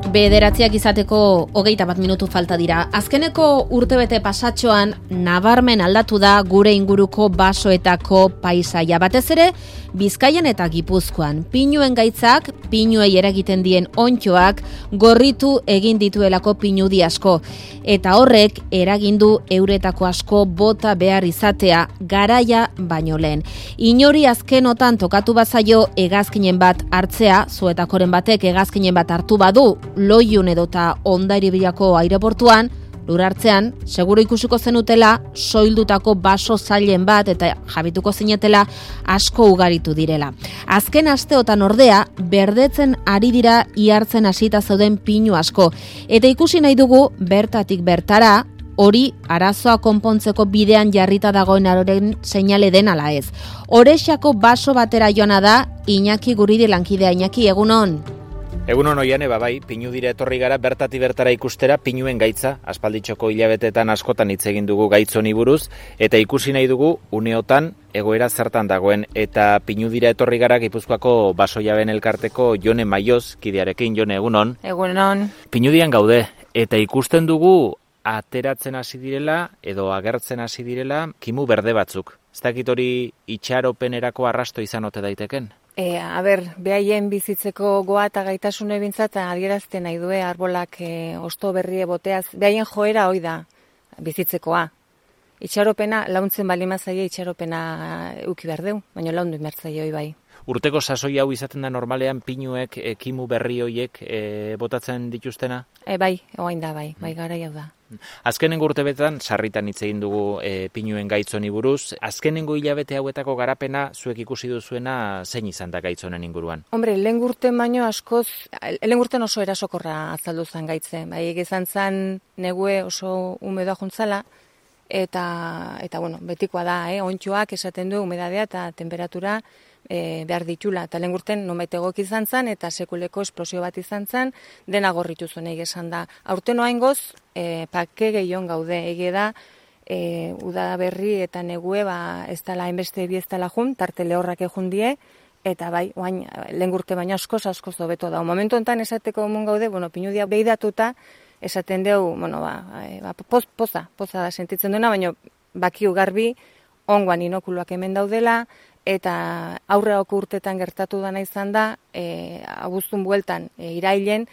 Bederatziak izateko 21 minutu falta dira. Azkeneko urtebete pasatxoan nabarmen aldatu da gure inguruko basoetako paisaia. Batez ere, Bizkaian eta Gipuzkoan. Pinuen gaitzak, pinuei eragiten dien onddoak gorritu egin dituelako pinudi asko. Eta horrek eragindu euretako asko bota behar izatea garaia baino lehen. Inori azkenotan tokatu bazaio hegazkinen bat hartzea, zuetakoren batek hegazkinen bat hartu badu, Loiun edota Hondarribiako aireportuan, lur hartzean, seguro ikusiko zenutela soildutako baso zailen bat eta jabituko zinetela asko ugaritu direla. Azken asteotan ordea, berdetzen ari dira ihartzen hasita zeuden pinu asko. Eta ikusi nahi dugu, bertatik bertara, hori arazoa konpontzeko bidean jarrita dagoen aroren seinale den ala ez. Orexako baso batera joana da, Iñaki Guridi lankidea. Iñaki, egunon? Egunon Oiane, bai, pinu dira etorri gara bertati bertara ikustera pinuen gaitza, aspalditxoko hilabetetan askotan hitz egin dugu gaitz honi buruz, eta ikusi nahi dugu uneotan egoera zertan dagoen, eta pinu dira etorri gara Gipuzkoako basojaben elkarteko Jone Maioz, kidearekin. Jone, egunon? Egunon. Pinudian gaude, eta ikusten dugu ateratzen hasi direla, edo agertzen hasi direla, kimu berde batzuk. Ez dakit hori itxaropenerako arrasto izan ote daiteken? Behaien bizitzeko goa eta gaitasune bintzat adierazten nahi due arbolak osto berrie boteaz. Behaien joera hoi da bizitzekoa. Itxaropena, launtzen balimazaia itxaropena uki behar deu, baina laundu inbertzaia hoi bai. Urteko sasoi hau izaten da normalean pinuek, kimu berri hoiek botatzen dituztena? Bai, oain da bai garai hau da. Azkenengo urtebetan sarritan hitz egin dugu pinuen gaitzoni buruz. Azkenengo hilabete hauetako garapena zuek ikusi duzuena zein izan da gaitzonen inguruan? Hombre, lehen urten oso erasokorra azaldu zen gaitze. Bai, izan zen negue oso umedoa juntzala, eta bueno, betikoa da, onddoak esaten du umedadea eta temperatura behar ditula. Eta lehen urten nonbait egok izan zen, eta sekuleko esplosio bat izan zen, dena gorritu zuen esan da. Aurten oaingoz, pake gehion gaude, ege da, uda berri eta negue, ez dala hainbeste bi ez dala jun, tarte lehorrak egun die, eta bai, oain, lehen urte baina askoz dobeto da. Momentu enten esateko mun gaude, pinudia behidatuta, esaten deu, poza da sentitzen duena, baina bakiu garbi, ongoan inokuluak hemen daudela, eta aurreako urtetan gertatu dana izan da, abuztun bueltan irailen,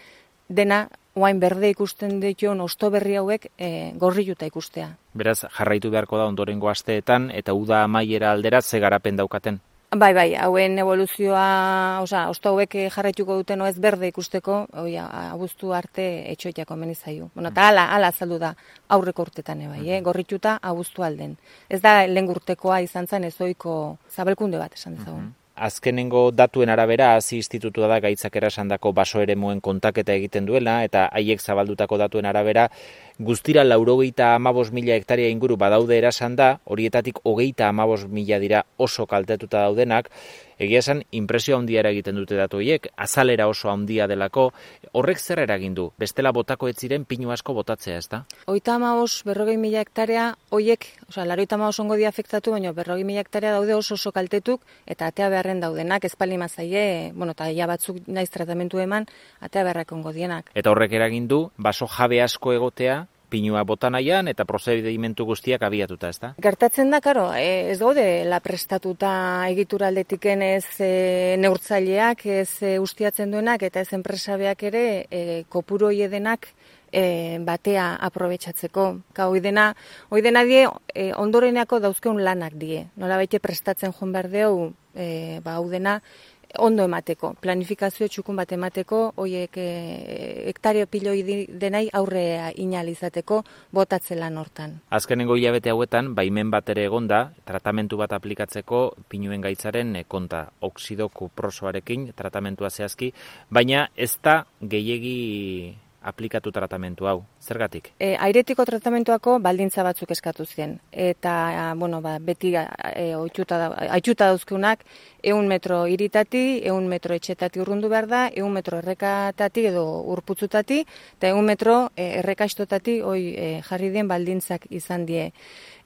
dena oain berde ikusten dituen osto berri hauek gorriluta ikustea. Beraz, jarraitu beharko da ondorengo asteetan, eta uda amaiera aldera ze garapen daukaten? Bai, hauen evoluzioa, osto hauek jarraituko duten oez berde ikusteko, abuztu arte etxoitiako menizaiu. Eta ala azaldu da aurreko urtetan gorrituta abuztu alden. Ez da lehen urtekoa izan zen ezoiko zabelkunde bat esan dezagun. Azkenengo datuen arabera, Hazi institutua da gaitzak erasandako baso eremuen kontaketa egiten duela, eta haiek zabaldutako datuen arabera, guztira 95.000 hektaria inguru badaude erasanda, horietatik 35.000 dira oso kaltetuta daudenak. Egia esan, impresio handia egiten dute datu horiek, azalera oso handia delako. Horrek zer eragin du? Bestela botako ez ziren pinu asko botatzea, ez da? 35.000 hektarea, horiek, 85 ongo dia afektatu, baina 40.000 hektarea daude oso kaltetuk, eta atea beharren daudenak, ezpali mazaie, eta ja batzuk naiz tratamentu eman, atea beharrak ongo dienak. Eta horrek eragin du, baso jabe asko egotea, pinua bota nahian eta prozedimentu guztiak abiatuta, ez da? Gertatzen da, karo, ez gaude la prestatuta egitura aldetiken ez neurtzaileak, ez ustiatzen duenak eta ez enpresabeak ere kopuru hoiedenak batea aprobetxatzeko. Hoi dena die ondoreneako dauzkeun lanak die. Nola baite prestatzen joan behar deu, hau dena ondo emateko, planifikazio txukun bat emateko, hoiek hektario piloi denai aurre inalizateko botatzen lan hortan. Azkenengo hilabete hauetan, baimen bat ere egonda, tratamentu bat aplikatzeko pinuen gaitzaren konta oxido kuprosoarekin, tratamentua zehazki, baina ez da gehiegi aplikatu tratamentu hau. Zergatik? Airetiko tratamentuako baldintza batzuk eskatu zien. Eta, beti haitxuta dauzkeunak 100 metro iritati, 100 metro etxetati urrundu behar da, 100 metro errekatati edo urputzutati, eta 100 metro errekaistotati jarri dien baldintzak izan die.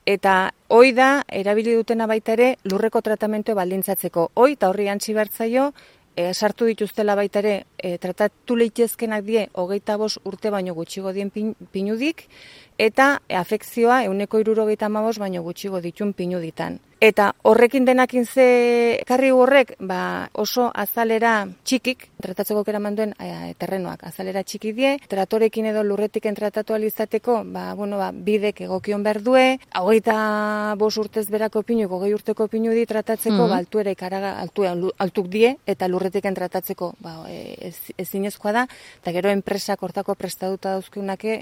Eta hoi da, erabili dutena baita ere, lurreko tratamentu baldintzatzeko. Hoi eta horri antzi bertzaio, sartu dituztela baita ere, tratatu leitezkenak die 25 urte baino gutxigo dien pinudik, eta afekzioa 175 baino gutxigo ditun pinuditan. Eta horrekin denakin ze karri horrek, oso azalera txikik, tratatzeko eraman duen terrenoak azalera txiki die, tratorekin edo lurretiken tratatu alizateko, bidek egokion berdue, 25 urtez berako pinuik, 20 urteko pinudi tratatzeko, altuera ikaraga altuk die, eta lurretiken tratatzeko ezinezkoa da, eta gero enpresak hortako prestaduta dauzkeunake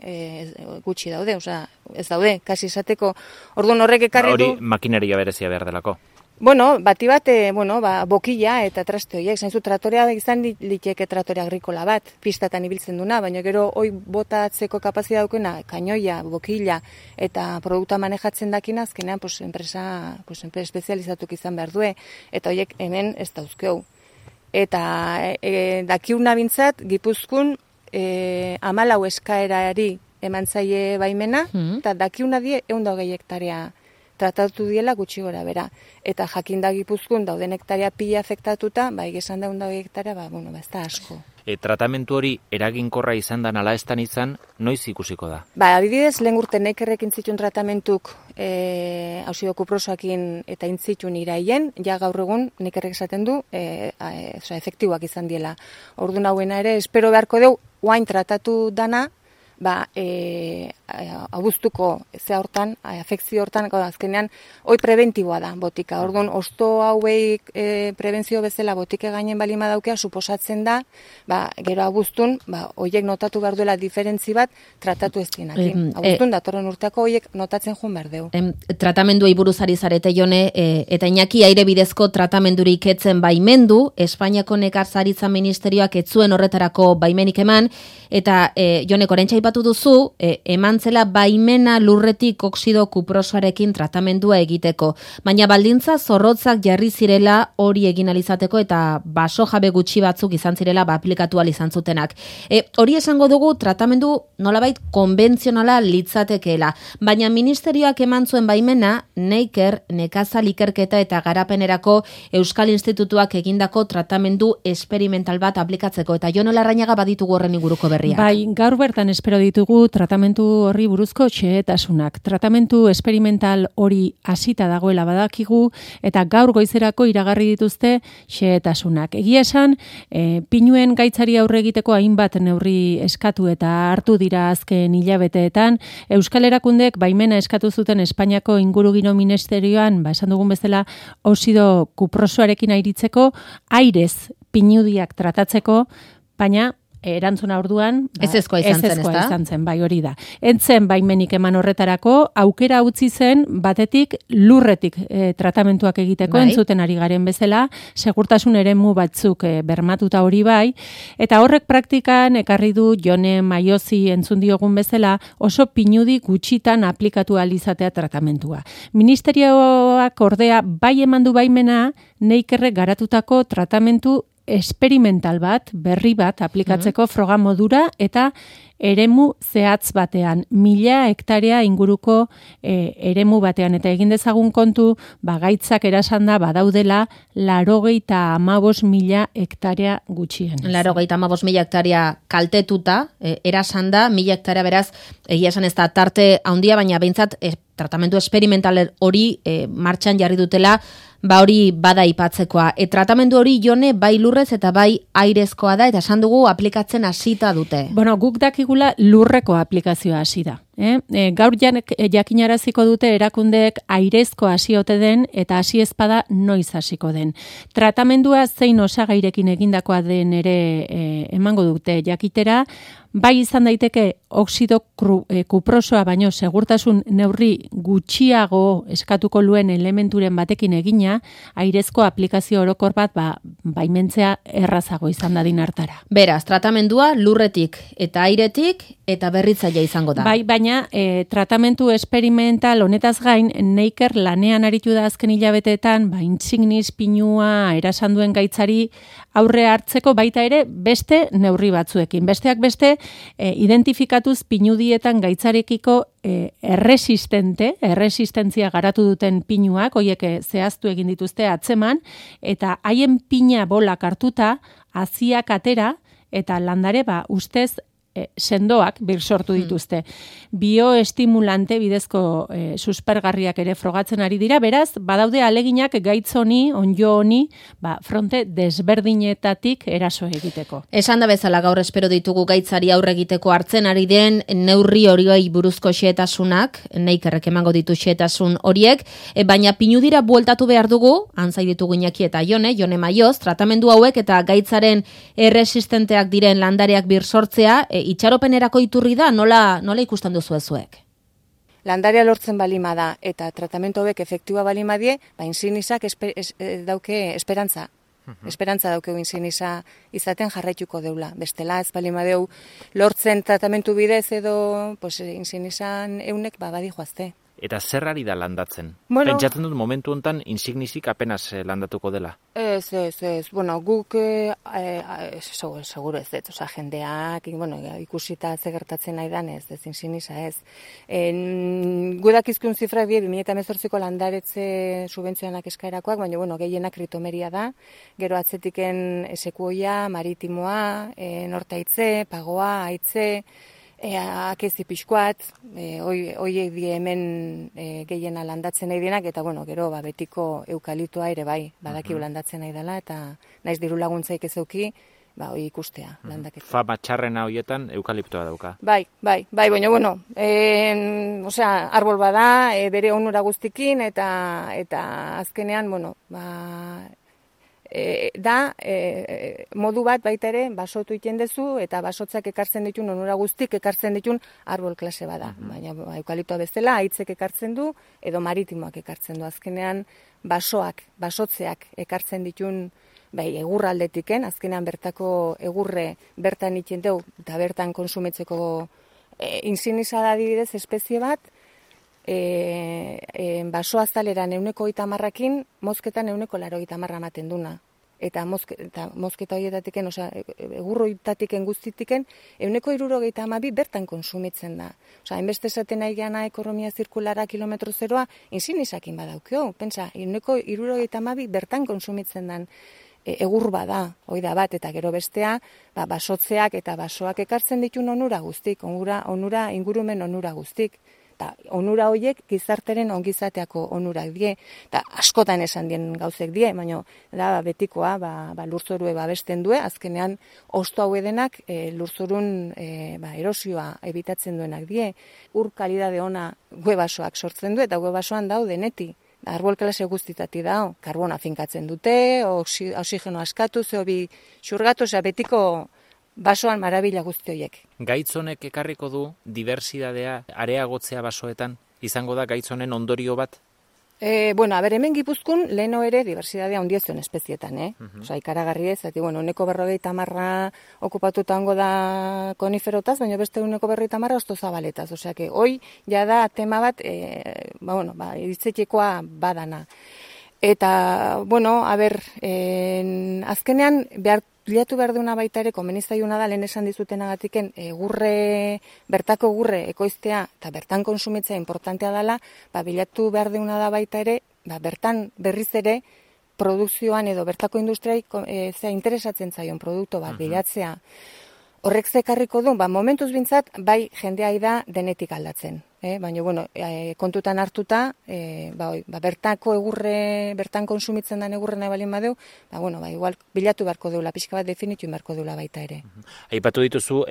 gutxi daude, ez daude, kasi esateko, orduan horrek ekarri du... Hori makinaria berezia behar delako. Bati bat, bokila eta traste horiek, zainzu tratorea izan liteke tratore agrikola bat, pistatan ibiltzen duna, baina gero hoi botatzeko kapazitatea daukena, kainoia, bokila eta produkta manejatzen dakina, azkenean enpresa espezializatuk izan behar due, eta horiek hemen ez dauzkeu. Eta dakiuna bintzat, Gipuzkoan 14 eskaerari eman zaie baimena, eta dakiuna die 120 hektarea tratatu diela gutxi gora bera. Eta jakinda Gipuzkoan dauden hektarea pila afektatuta, esan da 120 hektarea, ez da asko. Tratamentu hori eraginkorra izan da nala estan izan, noiz ikusiko da? Adibidez, lehen urte Neikerrekin zituen tratamentuk auzido kuprosoakin eta intzitun iraien, ja gaur egun Neikerrek esaten du, efektiboak izan diela. Ordu nauena ere, espero beharko deu, oain tratatu dana, abuztuko ze hortan, afekzio hortan, azkenean, hoi preventiboa da botika. Orduan, osto hauei prebentzio bezala botike gainen balima daukea, suposatzen da, gero abuztun, hoiek notatu behar duela diferentzi bat, tratatu ez dienakin. Abuztun, datorren urteako hoiek notatzen joan behar deu. Tratamenduei buruzari zarete, Jone, eta Iñaki aire bidezko tratamendurik etzen baimendu, Espainiako Nekazaritza Ministerioak etzuen horretarako baimenik eman, eta Jone, korentxa ipatu duzu, eman zela baimena lurretik oksido kuprosoarekin tratamendua egiteko. Baina baldintza zorrotzak jarri zirela hori egin alizateko eta baso jabe gutxi batzuk izan zirela aplikatu izan zutenak. Hori esango dugu tratamendu nolabait konbentzionala litzatekeela. Baina ministerioak eman zuen baimena Neiker, Nekazal Ikerketa eta Garapenerako Euskal Institutuak egindako tratamendu esperimental bat aplikatzeko. Eta Jon Larrañaga baditugu horren inguruko berriak. Gaur bertan espero ditugu tratamentu horri buruzko xehetasunak. Tratamentu esperimental hori hasita dagoela badakigu eta gaur goizerako iragarri dituzte xehetasunak. Egia esan, pinuen gaitzari aurre egiteko hainbat neurri eskatu eta hartu dira azken hilabeteetan. Euskal Erakundek baimena eskatu zuten Espainiako Ingurugiro Ministerioan, esan dugun bezala, oxido kuprosoarekin airitzeko, airez pinudiak tratatzeko, baina erantzuna orduan ezezkoa izan zen, bai hori da. Entzen baimenik eman horretarako, aukera utzi zen batetik lurretik tratamentuak egiteko, entzuten ari garen bezala, segurtasun eremu batzuk bermatuta hori bai, eta horrek praktikan ekarri du Jone Maiozi entzun diogun bezala, oso pinudi gutxitan aplikatu alizatea tratamentua. Ministerioak ordea bai emandu baimena Neikerrek garatutako tratamentu esperimental bat, berri bat, aplikatzeko froga modura eta eremu zehatz batean, 1000 hektarea inguruko eremu batean, eta egin dezagun kontu, gaitzak erasanda badaudela 95.000 hektarea gutxien. 95.000 hektarea kaltetuta, erasanda, 1000 hektarea beraz, egia esan ez da tarte handia, baina behintzat tratamendu esperimental hori martxan jarri dutela, hori bada ipatzekoa. Tratamendu hori Jone bai lurrez eta bai airezkoa da, eta esan dugu aplikatzen hasita dute. Guk dakigula lurreko aplikazioa hasi da. Gaur jakinaraziko dute erakundeek airezko hasiote den eta hasi ezpada noiz hasiko den. Tratamendua zein osagairekin egindakoa den ere emango dute jakitera, bai izan daiteke oxido kuprosoa baino segurtasun neurri gutxiago eskatuko luen elementuren batekin egina, airezko aplikazio orokor bat baimentzea errazago izan dadin hartara. Beraz, tratamendua lurretik eta airetik eta berritzailea izango da. Bai, baina tratamentu esperimental honetaz gain, Neiker lanean aritu da azken hilabeteetan, intsignis pinua erasanduen gaitzari aurre hartzeko baita ere beste neurri batzuekin. Besteak beste, identifikatuz pinudietan gaitzarekiko erresistentzia garatu duten pinuak, hoiek zehaztu egin dituzte atzeman, eta haien pina bolak hartuta, haziak atera, eta landare ustez sendoak birsortu dituzte. Bioestimulante bidezko suspergarriak ere frogatzen ari dira, beraz, badaude aleginak gaitz honi, onjo honi, fronte desberdinetatik eraso egiteko. Esan da bezala gaur espero ditugu gaitzari aurre egiteko hartzen ari den neurri horiei buruzko xehetasunak, Neikerrek emango ditu xehetasun horiek, baina pinudira bueltatu behar dugu, antzai ditugu Iñaki eta Jone Maioz, tratamendu hauek eta gaitzaren erresistenteak diren landareak birsortzea, itxaropenerako iturri da, nola ikusten duzu zuek? Landarea lortzen balima da, eta tratamentu hauek efektiba balima die, insinizak dauke esperantza. Esperantza daukegu insinisa izaten jarraituko deula. Bestela ez balima deu lortzen tratamentu bidez edo insinisan eunek badi joazte. Eta zer ari da landatzen? Bueno, pentsatzen dut momentu hontan insignisik apenas landatuko dela. Ez. Bueno, guk seguro ez, oza, jendeak, ikusita ze gertatzen nahi dan ez insignisa ez. Gudakizkun zifra 2018ko landaretze subentzioanak eskaerakoak, baina gehienak kritomeria da, gero atzetiken esekuoia, maritimoa, nortaitze, pagoa, aitze, akezi pixkoat, hoiek die hemen gehiena landatzen nahi dienak, eta gero betiko eukaliptoa ere bai, badakigu landatzen nahi dela, eta naiz diru laguntzaik ez euki, hoi ikustea landaketa. Fama txarrena hoietan eukaliptoa dauka. Bai, baina arbol bada, bere onura guztikin, eta azkenean, modu bat baita ere basotu iten dezu eta basotzak ekartzen ditun onura guztik ekartzen ditun arbol klase bada. Baina eukaliptoa bezala aitzek ekartzen du edo maritimoak ekartzen du. Azkenean basotzeak ekartzen ditun egurraldetiken, azkenean bertako egurre bertan iten deu eta bertan konsumitzeko insignisa da adibidez espezie bat, basoazaleran 130-akin, mozketan 180 ematen duna. Eta mozketa horietatiken, egurroitatiken guztitiken, 172 bertan konsumitzen da. Hainbeste esaten nahi gana ekonomia zirkulara kilometro zeroa, insignisakin badaukio. Pentsa, 172 bertan konsumitzen den egur bada, hoi da bat, eta gero bestea, basotzeak eta basoak ekartzen ditun onura guztik, onura ingurumen onura guztik. Eta onura horiek gizarteren ongizateako onurak die, eta askotan esan dien gauzek die, baina da betikoa lurzorue babesten due, azkenean osto hau edenak lurzorun erosioa ebitatzen duenak die, ur kalidade ona guebasoak sortzen du, eta guebasoan dau deneti. Arbol klase guztitati dao, karbona finkatzen dute, oxigeno askatu, zehobi xurgatu, betiko basoan marabila guzti horiek. Gaitz honek ekarriko du diversidadea areagotzea basoetan, izango da gaitz honen ondorio bat? Hemen Gipuzkoan leheno ere diversidadea ondiezuen espezietan, ikaragarri ez, uneko 50 okupatuta hango da koniferotaz, baina beste uneko 50 osto zabaletaz, hoi jada tema bat, iritzetekoa badana. Eta, azkenean bilatu behar duna baita ere, konbenizaiuna da, lehen esan dizutenagatiken, bertako gurre ekoiztea eta bertan konsumitzea importantea dela, bilatu behar duna da baita ere, bertan berriz ere, produkzioan edo bertako industriai interesatzen zaion produktu bat bilatzea. Horrek zekarriko du, momentuz bintzat, bai jendea da denetik aldatzen. Baina, kontutan hartuta, bertako egurre, bertan konsumitzen den egurre nahi balin badeu, igual bilatu beharko deula, pixka bat definitu beharko deula baita ere. Aipatu dituzu,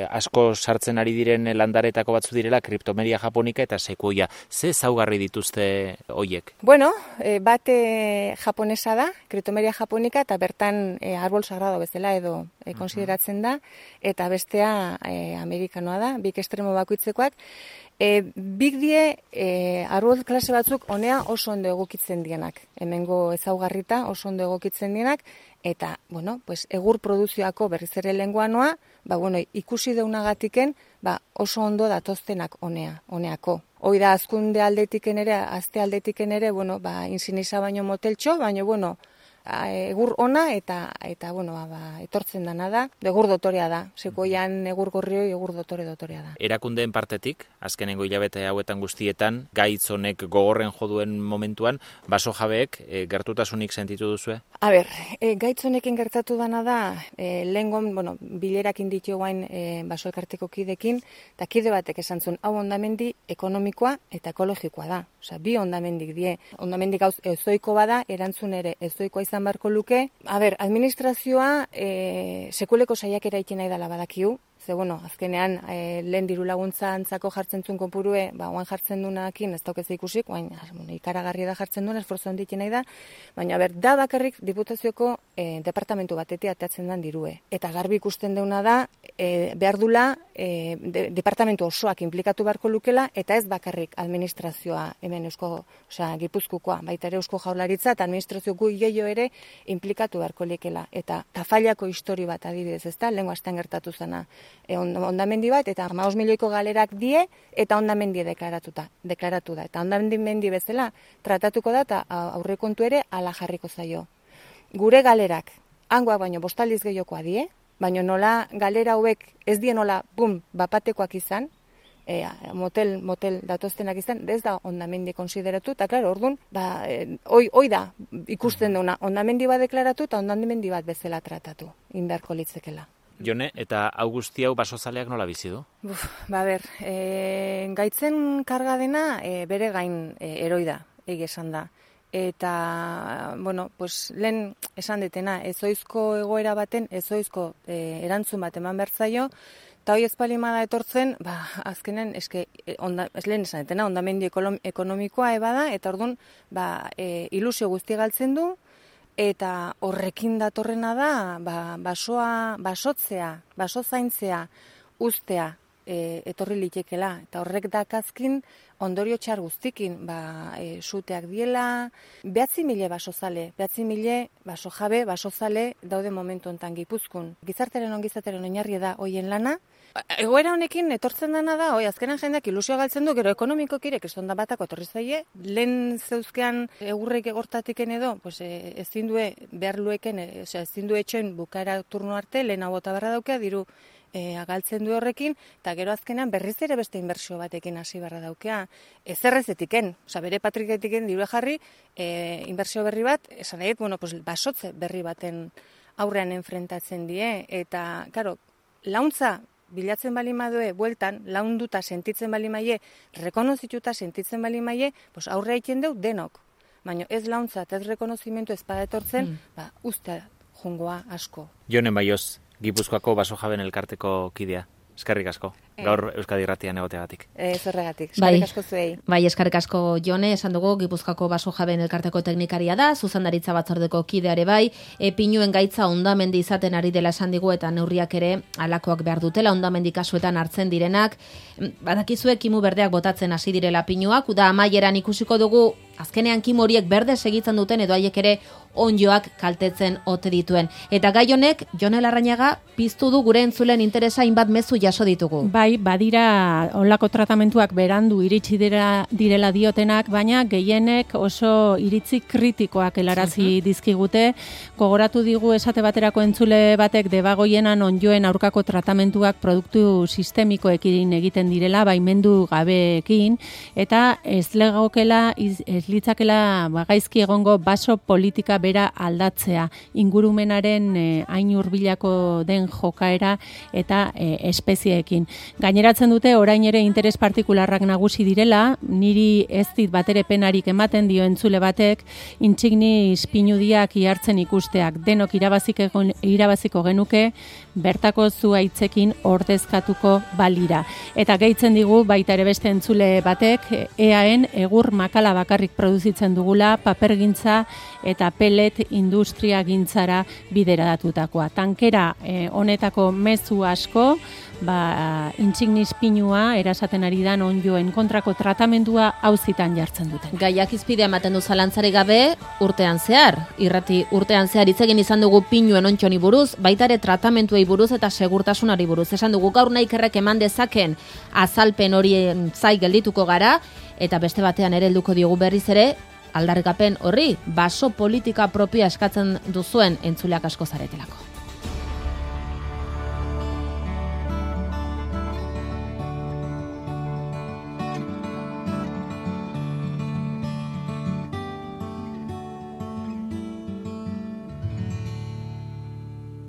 asko sartzen ari diren landaretako batzu direla, kriptomeria japonika eta sekuoia. Ze zaugarri dituzte hoiek? Bat japonesa da, kriptomeria japonika, eta bertan arbol sagrado bezala edo konsideratzen da, eta bestea amerikanoa da, bik estremo bakoitzekoak. Bik die arbol klase batzuk honea oso ondo egokitzen dienak. Hemengo ezaugarrita oso ondo egokitzen dienak, eta, egur produzioako berriz ere lenguanoa, ikusi deunagatiken, oso ondo datoztenak honeako. Hoi da, azkunde aldetiken ere, azte aldetiken ere, insignisa baino moteltxo, baina, egur ona eta bueno, etortzen dana da, egur dotorea da, sekoian egur gorrioi egur dotorea da. Erakundeen partetik, azkenengo hilabete hauetan guztietan, gaitz honek gogorren joduen momentuan, baso jabeek gertutasunik sentitu duzue? Gaitz honekin gertatu dana da, lehengon, bueno, bilerakin ditu guain baso elkarteko kidekin, eta kide batek esan zuen, hau hondamendi ekonomikoa eta ekologikoa da. Osea, bi hondamendik die. Hondamendik gauz ezoiko bada, erantzun ere ezoikoa izan beharko luke. Administrazioa sekuleko saiakera egiten nahi dela badakiu. Ze, bueno, azkenean, lehen diru laguntza antzako jartzen zuen konpurue, oain jartzen duenakin, ez daukez ikusik, oain ikaragarri da jartzen duen, esforzo handitzen nahi da, baina, da bakarrik diputazioko departamentu batetik ateatzen den dirue. Eta garbi ikusten deuna da, behar dula, departamentu osoak implikatu beharko lukela, eta ez bakarrik administrazioa hemen Gipuzkoa, baita ere Eusko Jaurlaritza, eta administrazio gu gehiago ere implikatu beharko lekela. Eta Tafallako histori bat adibidez, ezta, lehengo astean gertatu zena. Hondamendi bat, eta 15 milioiko galerak die, eta hondamendi deklaratu da. Eta hondamendi bezala tratatuko da, eta aurrekontu ere ala jarriko zaio. Gure galerak, hangoak baino bostaliz gehiokoa die, baino nola galera hauek ez die nola, bapatekoak izan, motel datoztenak izan, ez da hondamendi konsideratu, eta klaro, orduan, hoi da ikusten duna, hondamendi bat deklaratu, eta hondamendi bat bezala tratatu, indarko litzekela. Jone, eta hau guzti hau basozaleak nola bizi du? Gaitzen karga dena bere gain eroi da, esan da. Eta, bueno, lehen esan detena, ezoizko egoera baten, ezoizko erantzun bat eman behar zaio, eta hoi ezpalimada etortzen, azkenen, lehen esan detena, hondamendi ekonomikoa ebada, eta orduan, ilusio guzti galtzen du, eta horrekin datorrena da, basotzea, basozaintzea, ustea, etorri litekela. Eta horrek dakazkin ondorio txar guztikin, suteak diela, 9.000 basozale, 9.000 baso jabe, basozale daude momentu hontan Gipuzkoan. Gizarteren ongizateren oinarri da hoien lana. Egoera honekin etortzen dena da, azkenan jendeak ilusioa galtzen du, gero ekonomikokirek estonda batako etorri zaie, lehen zeuzkean egurrek egortatiken edo, ezin du behar lueken, ezin du etxoen bukaera turno arte, lehen hau bota barra daukea, diru galtzen du horrekin, eta gero azkenan berriz ere beste inbertsio batekin hasi barra daukea. Ezerrezetiken, bere patriketiken diru jarri, inbertsio berri bat, esan nahi, basotze berri baten aurrean enfrentatzen die, eta, karo, launtza bilatzen bali madue, bueltan, launduta sentitzen bali maie, rekonozituta sentitzen bali maie, aurrea egiten deu denok. Baina ez launtza eta ez rekonozimentu ez etortzen, uste jungoa asko. Jone Baioz, Gipuzkoako baso jaben elkarteko kidea. Eskerrik asko. Gaur Euskadi Irratian egoteagatik. Zorregatik. Eskerrik asko zuei. Bai, eskerrik asko Jone, esan dugu Gipuzkoako baso jaben elkarteko teknikaria da, zuzendaritza batzordeko kideare bai, pinuen gaitza hondamendi izaten ari dela esan digu eta neurriak ere alakoak behar dutela hondamendi kasuetan hartzen direnak. Badakizue kimu berdeak botatzen hasi direla pinuak, uda amaieran ikusiko dugu azkenean kimu horiek berde segitzen duten edo haiek ere ondjoak kaltetzen ote dituen. Eta gai honek, Jone Larrañaga, piztu du gure entzulen interesa hainbat mezu jaso ditugu. Bai, badira olako tratamentuak berandu iritsi direla diotenak, baina gehienek oso iritzi kritikoak helarazi dizkigute. Gogoratu digu esate baterako entzule batek debagoienan ondjoen aurkako tratamentuak produktu sistemikoekin egiten direla, baimendu gabeekin, eta ez litzakela gaizki egongo baso politika bera aldatzea, ingurumenaren hain hurbilako den jokaera eta espezieekin. Gaineratzen dute orain ere interes partikularrak nagusi direla, niri ez dit batere penarik ematen dio entzule batek, intsignis pinudiak ihartzen ikusteak, denok irabaziko genuke, bertako zuaitzekin ordezkatuko balira. Eta gehitzen digu baita ere beste entzule batek, EAen egur makala bakarrik produzitzen dugula, papergintza eta pelet industria gintzara bideratutakoa. Tankera honetako mezu asko, intsignis pinua erasaten ari dan ondjoen kontrako tratamendua auzitan jartzen duten. Gaiak izpidea ematen du zalantzari gabe urtean zehar. Irrati urtean zehar hitz egin izan dugu pinuen ontxoni buruz, baita ere tratamentuei buruz eta segurtasunari buruz. Esan dugu gaur naikerrek eman dezaken azalpen horien zai geldituko gara, eta beste batean ere helduko diogu berriz ere, aldarrikapen horri baso politika propioa eskatzen duzuen entzuleak asko zaretelako.